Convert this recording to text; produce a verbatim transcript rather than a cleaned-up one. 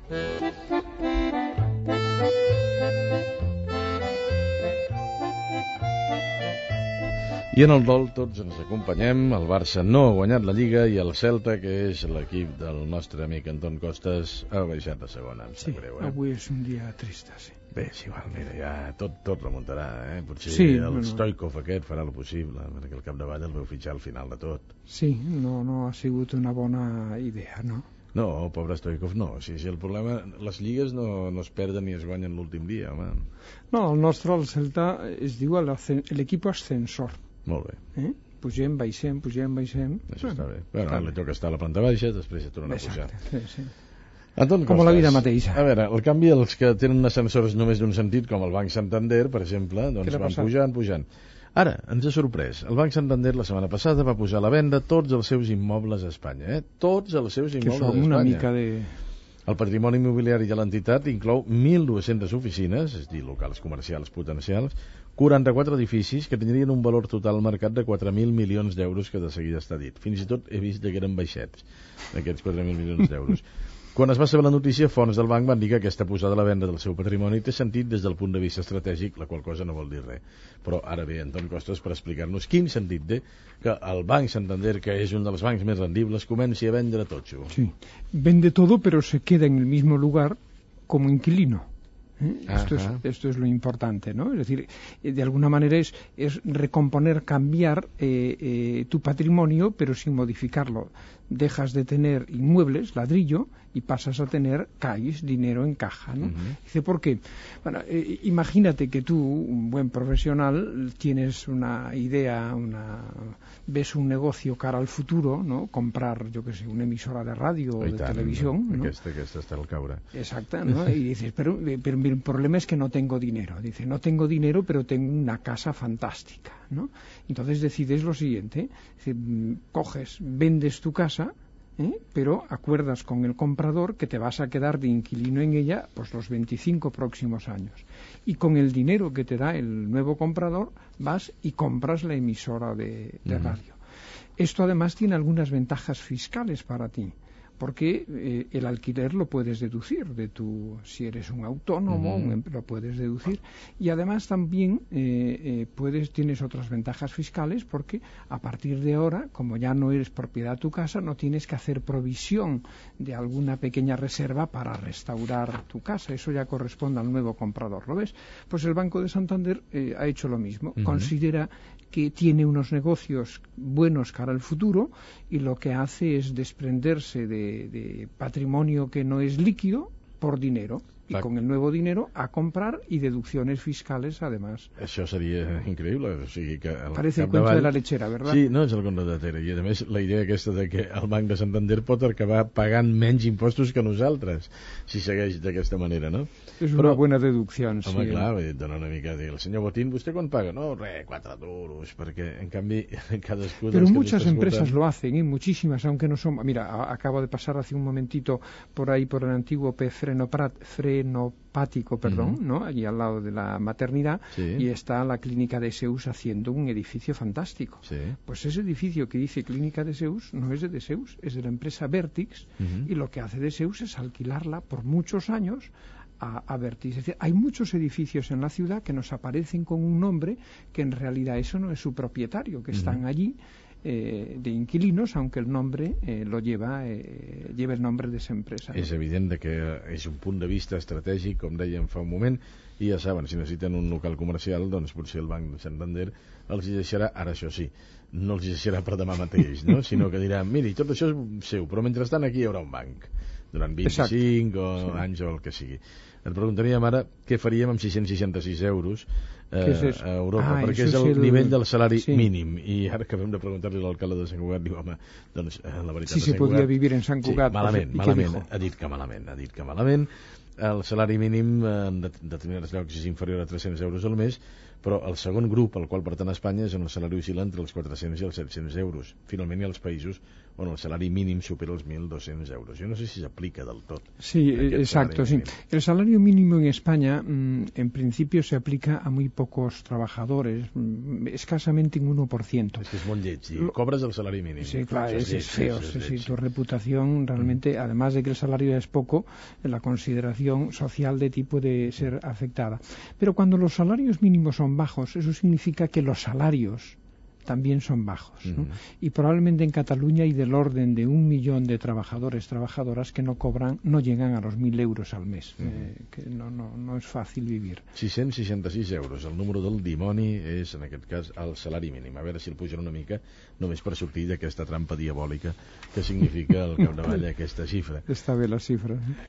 I en el dol tots ens acompanyem. El Barça no ha guanyat la Lliga i el Celta, que és l'equip del nostre amic Anton Costas, ha baixat a segona. Em sí, sap greu, eh? Avui és un dia trist, sí. Bé, és igual, mira, ja tot, tot remuntarà, eh? Potser sí, el no, Stoikov aquest farà el possible, perquè el capdavall el veu fitxar al final de tot. Sí, no, no ha sigut una bona idea, no? No, pobre Stoikov no. Si, si el problema... Les lligues no, no es perden ni es guanyen l'últim dia, home. No, el nostre, el Celta, es diu l'equip ascensor. Molt bé. Eh? Pugem, baixem, pugem, baixem. Això està bé. Bueno, ara li toca estar a la planta baixa, després ja torna a pujar. Sí, sí. Anton com Costas, la vida mateixa. A veure, el canvi, els que tenen ascensors només d'un sentit, com el Banc Santander, per exemple, doncs van pujant, pujant. Ara, ens ha sorprès. El Banc Santander la setmana passada va posar a la venda tots els seus immobles a Espanya. Eh? Tots els seus immobles a Espanya. Que són una mica de... El patrimoni immobiliari de l'entitat inclou mil dues-centes oficines, és a dir, locals comercials potencials, quaranta-quatre edificis que tindrien un valor total al mercat de quatre mil milions d'euros, que de seguida està dit. Fins i tot he vist que eren baixets, aquests quatre mil milions d'euros. Quan es va saber la notícia, fonts del banc van dir que aquesta posada a la venda del seu patrimoni té sentit des del punt de vista estratègic, la qual cosa no vol dir res. Però ara ve Anton Costas per explicar-nos quin sentit té que el Banc Santander, que és un dels bancs més rendibles, comenci a vendre totxo. Sí, vende todo, pero se queda en el mismo lugar como inquilino. ¿Eh? Esto, es, esto es lo importante, ¿no? Es decir, de alguna manera es, es recomponer, cambiar eh, eh, tu patrimonio, pero sin modificarlo. Dejas de tener inmuebles, ladrillo, y pasas a tener calles, dinero en caja, ¿no? Uh-huh. Dice, ¿por qué? Bueno, eh, imagínate que tú, un buen profesional, tienes una idea, una ves un negocio cara al futuro, ¿no? Comprar, yo qué sé, una emisora de radio o de tant, televisión, ¿no? Aquesta, aquesta està al caure. Exacto, ¿no? Y dices, pero, pero el problema es que no tengo dinero. Dice, no tengo dinero, pero tengo una casa fantástica, ¿no? Entonces decides lo siguiente, dice, coges, vendes tu casa, ¿eh? Pero acuerdas con el comprador que te vas a quedar de inquilino en ella pues los veinticinco próximos años. Y con el dinero que te da el nuevo comprador vas y compras la emisora de, de radio. Uh-huh. Esto además tiene algunas ventajas fiscales para ti, porque eh, el alquiler lo puedes deducir de tu, si eres un autónomo, uh-huh. un, lo puedes deducir, y además también eh, eh, puedes tienes otras ventajas fiscales, porque a partir de ahora, como ya no eres propiedad de tu casa, no tienes que hacer provisión de alguna pequeña reserva para restaurar tu casa. Eso ya corresponde al nuevo comprador, ¿lo ves? Pues el Banco de Santander eh, ha hecho lo mismo. Uh-huh. Considera que tiene unos negocios buenos cara al futuro y lo que hace es desprenderse de, de patrimonio que no es líquido por dinero. Y Clar. Con el nuevo dinero a comprar y deducciones fiscales además. Això seria increïble. O sigui que el Parece el cuento de la lechera, ¿verdad? Sí, no és el conte de Tere. I a més la idea aquesta de que el Banc de Santander pot acabar pagant menys impostos que nosaltres si segueix d'aquesta manera, no? És una Però, buena deducció. Home, sí, clar, eh? Dona una mica de dir, el senyor Botín, ¿vostè quan paga? No, res, quatre duros, perquè en canvi cadascú... Pero muchas empresas lo hacen, ¿eh? Muchísimas, aunque no son... Mira, a, acabo de pasar hace un momentito por ahí por el antiguo P. Frenoprat, Frenopático, perdón, uh-huh. ¿no? Allí al lado de la maternidad, sí. Y está la clínica de Zeus haciendo un edificio fantástico. Sí. Pues ese edificio que dice clínica de Zeus no es de Zeus, es de la empresa Vertix, uh-huh. Y lo que hace de Zeus es alquilarla por muchos años a, a Vertix. Es decir, hay muchos edificios en la ciudad que nos aparecen con un nombre que en realidad eso no es su propietario, que uh-huh. están allí Eh, de inquilinos, aunque el nombre eh, lo lleva eh, lleva el nombre de esa empresa. És evident que és un punt de vista estratègic, com dèiem fa un moment, i ja saben, si necessiten un local comercial, doncs potser el Banc de Santander els hi deixarà, ara això sí, no els hi deixarà per demà mateix, no? Sinó que diran, miri, tot això és seu, però mentrestant aquí hi haurà un banc, durant vint-i-cinc o sí. anys o el que sigui. Et preguntaríem ara què faríem amb sis-cents seixanta-sis euros eh, es a Europa, ah, perquè és el, el nivell del salari sí. mínim, i ara acabem de preguntar-li a l'alcalde de Sant Cugat, diu, home, doncs la veritat... Si se podia vivir en Sant Cugat... Sí, malament, malament, ha dit que malament, ha dit que malament. El salari mínim en determinats llocs és inferior a tres-cents euros al mes, però el segon grup al qual pertany Espanya és on el salari oscil·la entre els quatre-cents i els set-cents euros. Finalment hi ha els països on el salari mínim supera els mil dos-cents euros. Yo no sé si se aplica del todo. Sí, exacto. Sí. El salario mínimo en España, mmm, en principio, se aplica a muy poco pocos trabajadores, escasamente un uno por ciento. Es que es molt lleig, i cobres el salari mínim. Sí, claro, es, es feo. Es, es, es tu reputación realmente, mm. además de que el salario es poco, la consideración social de ti puede ser afectada. Pero cuando los salarios mínimos son bajos, eso significa que los salarios también son bajos, ¿no? Uh-huh. Y probablemente en Cataluña hay del orden de un millón de trabajadores, trabajadoras que no cobran, no llegan a los mil euros al mes, uh-huh. eh, que no, no, no és fàcil vivir. sis-cents seixanta-sis euros, el número del dimoni és, en aquest cas, el salari mínim. A veure si el pugen una mica, només per sortir d'aquesta trampa diabòlica que significa al capdavall aquesta xifra. Està bé la xifra.